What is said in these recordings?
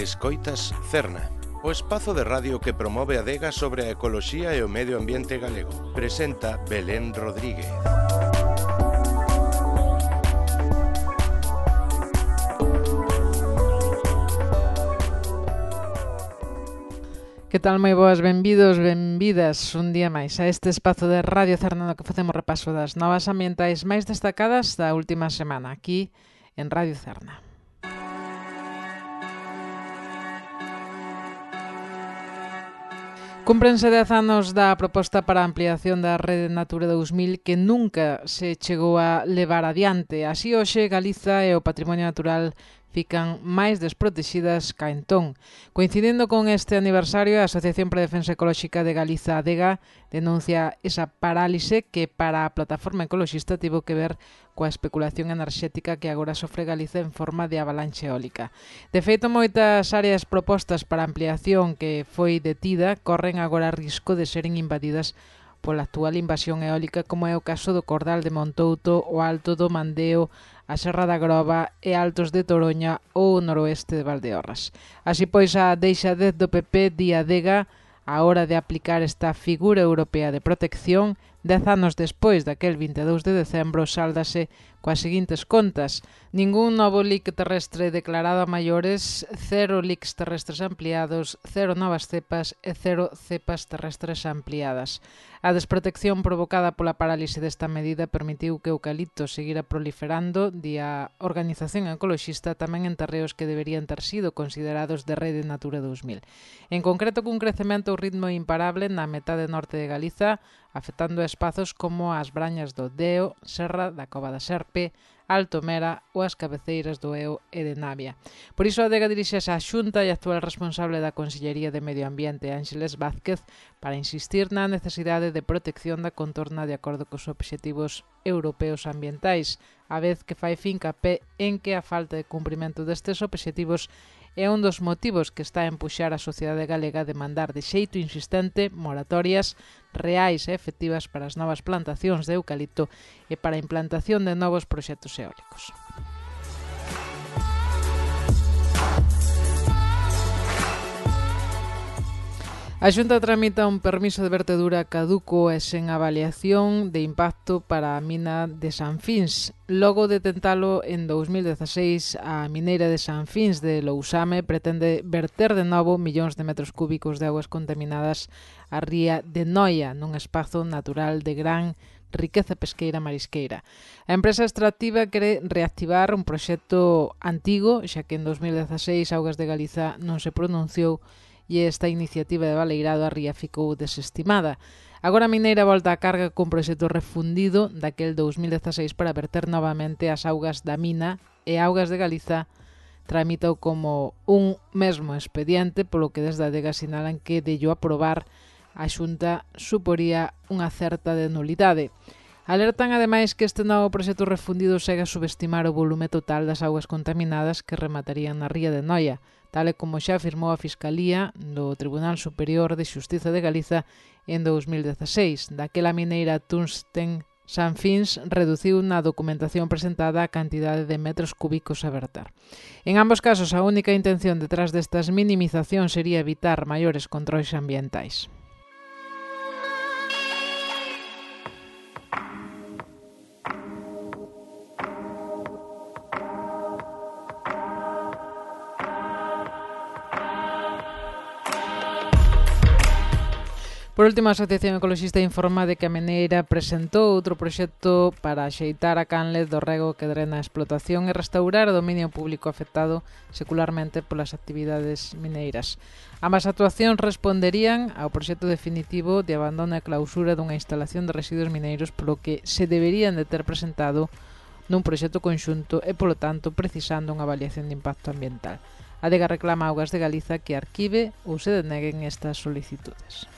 Escoitas Cerna, o espazo de radio que promove a adega sobre a ecoloxía e o medio ambiente galego. Presenta Belén Rodríguez. Que tal, moi boas, benvidos, benvidas un día máis a este espazo de Radio Cerna no que facemos repaso das novas ambientais máis destacadas da última semana aquí en Radio Cerna. Cúmprense 10 anos da proposta para a ampliación da Rede Natura 2000 que nunca se chegou a levar adiante. Así hoxe Galiza e o patrimonio natural fican máis desprotexidas ca entón. Coincidindo con este aniversario, a Asociación para a Defensa Ecolóxica de Galiza, ADEGA, denuncia esa parálise que para a plataforma ecoloxista tivo que ver coa especulación enerxética que agora sofre Galiza en forma de avalanche eólica. De feito, moitas áreas propostas para ampliación que foi detida corren agora risco de seren invadidas pola actual invasión eólica, como é o caso do Cordal de Montouto, o Alto do Mandeo, a Serra da Groba e Altos de Toroña ou o noroeste de Valdeorras. Así pois, a deixadez do PP di ADEGA a hora de aplicar esta figura europea de protección, 10 anos despois daquel 22 de decembro, sáldase coas seguintes contas: ningún novo leak terrestre declarado a maiores, 0 leaks terrestres ampliados, 0 novas cepas e 0 cepas terrestres ampliadas. A desprotección provocada pola parálise desta medida permitiu que o eucalipto seguira proliferando, di a organización ecoloxista, tamén en terreos que deberían ter sido considerados de Rede Natura 2000. En concreto, cun crecemento ao ritmo imparable na metade norte de Galiza, afectando a espazos como as Brañas do Deo, Serra da Cova da Serpe, Alto Mera ou as cabeceiras do Eo e de Navia. Por iso a ADEGA dirixese á Xunta e actual responsable da Consellería de Medio Ambiente, Ángeles Vázquez, para insistir na necesidade de protección da contorna de acordo cos obxectivos europeos ambientais, a vez que fai fincapé en que a falta de cumprimento destes obxectivos é un dos motivos que está a empuxar a sociedade galega a demandar de xeito insistente moratorias reais e efectivas para as novas plantacións de eucalipto e para a implantación de novos proxectos eólicos. A Xunta tramita un permiso de vertedura caduco e sen avaliación de impacto para a mina de Sanfins. Logo de tentalo en 2016, a mineira de Sanfins de Lousame pretende verter de novo millóns de metros cúbicos de augas contaminadas á ría de Noia, nun espazo natural de gran riqueza pesqueira marisqueira. A empresa extractiva quere reactivar un proxecto antigo, xa que en 2016 Augas de Galiza non se pronunciou e esta iniciativa de baleirado a ría ficou desestimada. Agora a mineira volta a carga con proxecto refundido daquel 2016 para verter novamente as augas da mina e Augas de Galiza tramitou como un mesmo expediente, polo que desde a ADEGA sinalan que dello aprobar a Xunta suporía unha certa de nulidade. Alertan ademais que este novo proxecto refundido segue a subestimar o volume total das augas contaminadas que rematarían na ría de Noia, tal e como xa afirmou a Fiscalía do Tribunal Superior de Xustiza de Galiza en 2016. Daquela mineira Tungsten Sanfins reduciu na documentación presentada a cantidade de metros cúbicos a verter. En ambos casos, a única intención detrás destas minimizacións sería evitar maiores controis ambientais. Por último, a Asociación Ecoloxista informa de que a mineira presentou outro proxecto para axeitar a canle do rego que drena a explotación e restaurar o dominio público afectado secularmente polas actividades mineiras. Ambas actuacións responderían ao proxecto definitivo de abandono e clausura dunha instalación de residuos mineiros, polo que se deberían de ter presentado nun proxecto conxunto e, polo tanto, precisando unha avaliación de impacto ambiental. A ADEGA reclama a Augas de Galiza que arquive ou se deneguen estas solicitudes.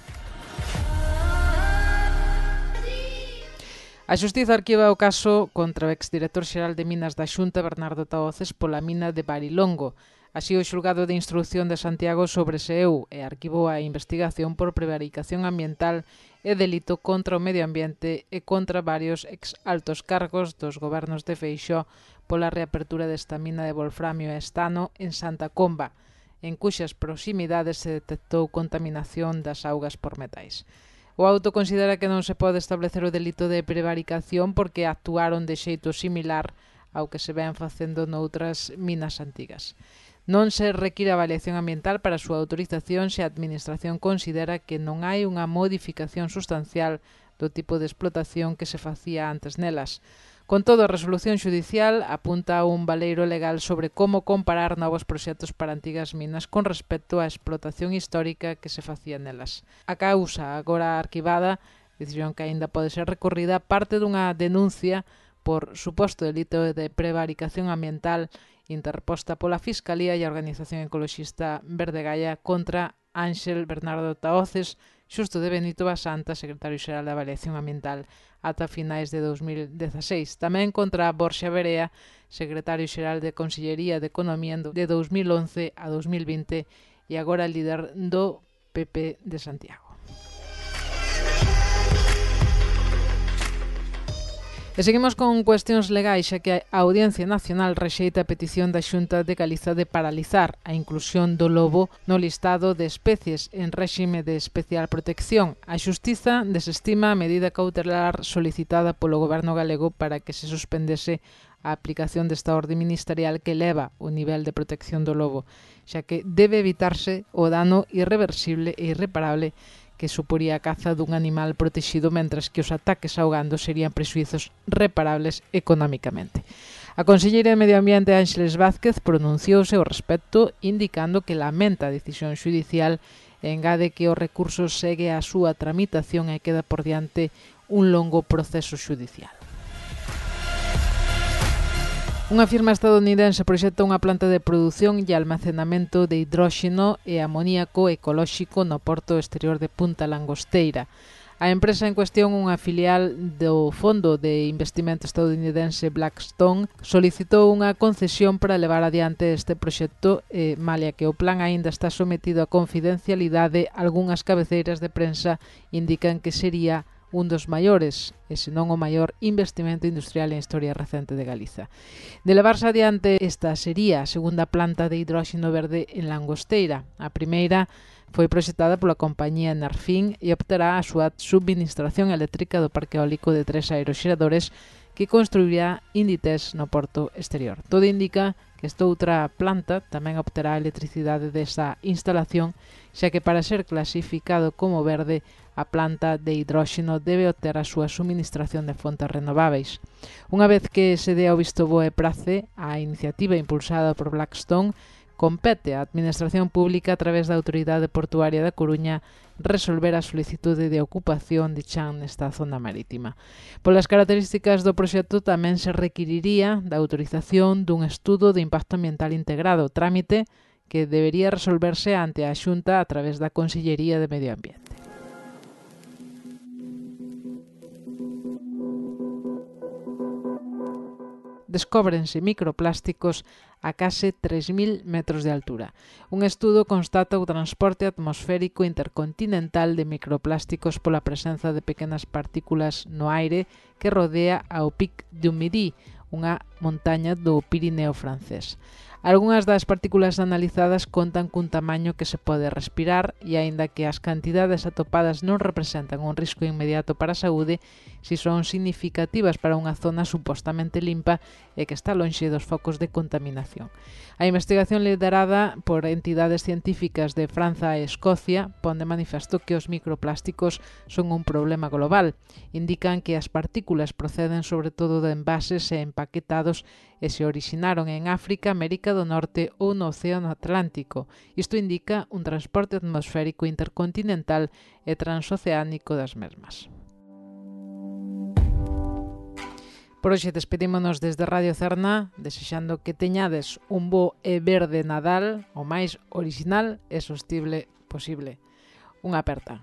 A Xustiza arquiva o caso contra o exdirector xeral de Minas da Xunta, Bernardo Tahoces, pola mina de Barilongo. Así, o xulgado de instrucción de Santiago sobreseeu e arquivou a investigación por prevaricación ambiental e delito contra o medio ambiente e contra varios ex-altos cargos dos gobernos de Feixóo pola reapertura desta mina de wolframio e estano en Santa Comba. en cuxas proximidades se detectou contaminación das augas por metais. O auto considera que non se pode establecer o delito de prevaricación porque actuaron de xeito similar ao que se ven facendo noutras minas antigas. Non se require avaliación ambiental para a súa autorización se a Administración considera que non hai unha modificación sustancial do tipo de explotación que se facía antes nelas. Con todo, a resolución xudicial apunta a un baleiro legal sobre como comparar novos proxectos para antigas minas con respecto á explotación histórica que se facía nelas. A causa, agora arquivada, decisión que aínda pode ser recorrida, parte dunha denuncia por suposto delito de prevaricación ambiental interposta pola Fiscalía e a Organización Ecoloxista Verde Gaia contra Ángel Bernardo Tahoces, Xusto de Benito Basanta, secretario xeral de Avaliación Ambiental ata finais de 2016. Tamén contra Borxa Verea, secretario xeral de Consellería de Economía de 2011 a 2020 e agora líder do PP de Santiago. E seguimos con cuestións legais, xa que a Audiencia Nacional rexeita a petición da Xunta de Galiza de paralizar a inclusión do lobo no listado de especies en réxime de especial protección. A Xustiza desestima a medida cautelar solicitada polo Goberno galego para que se suspendese a aplicación desta orde ministerial que eleva o nivel de protección do lobo, xa que debe evitarse o dano irreversible e irreparable que suporía a caza dun animal protexido, mentras que os ataques ao gando serían prexuizos reparables económicamente. A conselleira de Medio Ambiente Ángeles Vázquez pronunciouse ao respecto, indicando que lamenta a decisión xudicial e engade que o recurso segue a súa tramitación e queda por diante un longo proceso xudicial. Unha firma estadounidense proxecta unha planta de produción e almacenamento de hidróxeno e amoníaco ecolóxico no porto exterior de Punta Langosteira. A empresa en cuestión, unha filial do fondo de investimento estadounidense Blackstone, solicitou unha concesión para levar adiante este proxecto, malia que o plan aínda está sometido a confidencialidade. Algunhas cabeceiras de prensa indican que sería un dos maiores, e senón o maior investimento industrial en historia recente de Galiza. De levarse adiante, esta sería a segunda planta de hidróxeno verde en Langosteira. A primeira foi proxectada pola compañía Nerfin e optará a súa subministración eléctrica do parque eólico de 3 aeroxeradores que construirá Inditex no porto exterior. Todo indica que esta outra planta tamén obterá a electricidade desa instalación, xa que para ser clasificado como verde, a planta de hidróxeno debe obter a súa suministración de fontes renováveis. Unha vez que se dé o visto bo e prace a iniciativa impulsada por Blackstone, compete á Administración Pública a través da Autoridade Portuaria da Coruña resolver a solicitude de ocupación de chan nesta zona marítima. Polas características do proxecto tamén se requiriría da autorización dun estudo de impacto ambiental integrado, trámite que debería resolverse ante a Xunta a través da Consellería de Medio Ambiente. Descóbrense microplásticos a case 3.000 metros de altura. Un estudo constata o transporte atmosférico intercontinental de microplásticos pola presenza de pequenas partículas no aire que rodea ao Pic du Midi, unha montaña do Pirineo francés. Algunhas das partículas analizadas contan cun tamaño que se pode respirar e, aínda que as cantidades atopadas non representan un risco inmediato para a saúde, si son significativas para unha zona supostamente limpa e que está lonxe dos focos de contaminación. A investigación liderada por entidades científicas de Franza e Escocia pon de manifesto que os microplásticos son un problema global. Indican que as partículas proceden sobre todo de envases e empaquetados e se originaron en África, América do Norte ou no Océano Atlántico. Isto indica un transporte atmosférico intercontinental e transoceánico das mesmas. Por hoxe despedímonos desde Radio Cerna, desexando que teñades un bo e verde Nadal o máis orixinal e sostible posible. Unha aperta.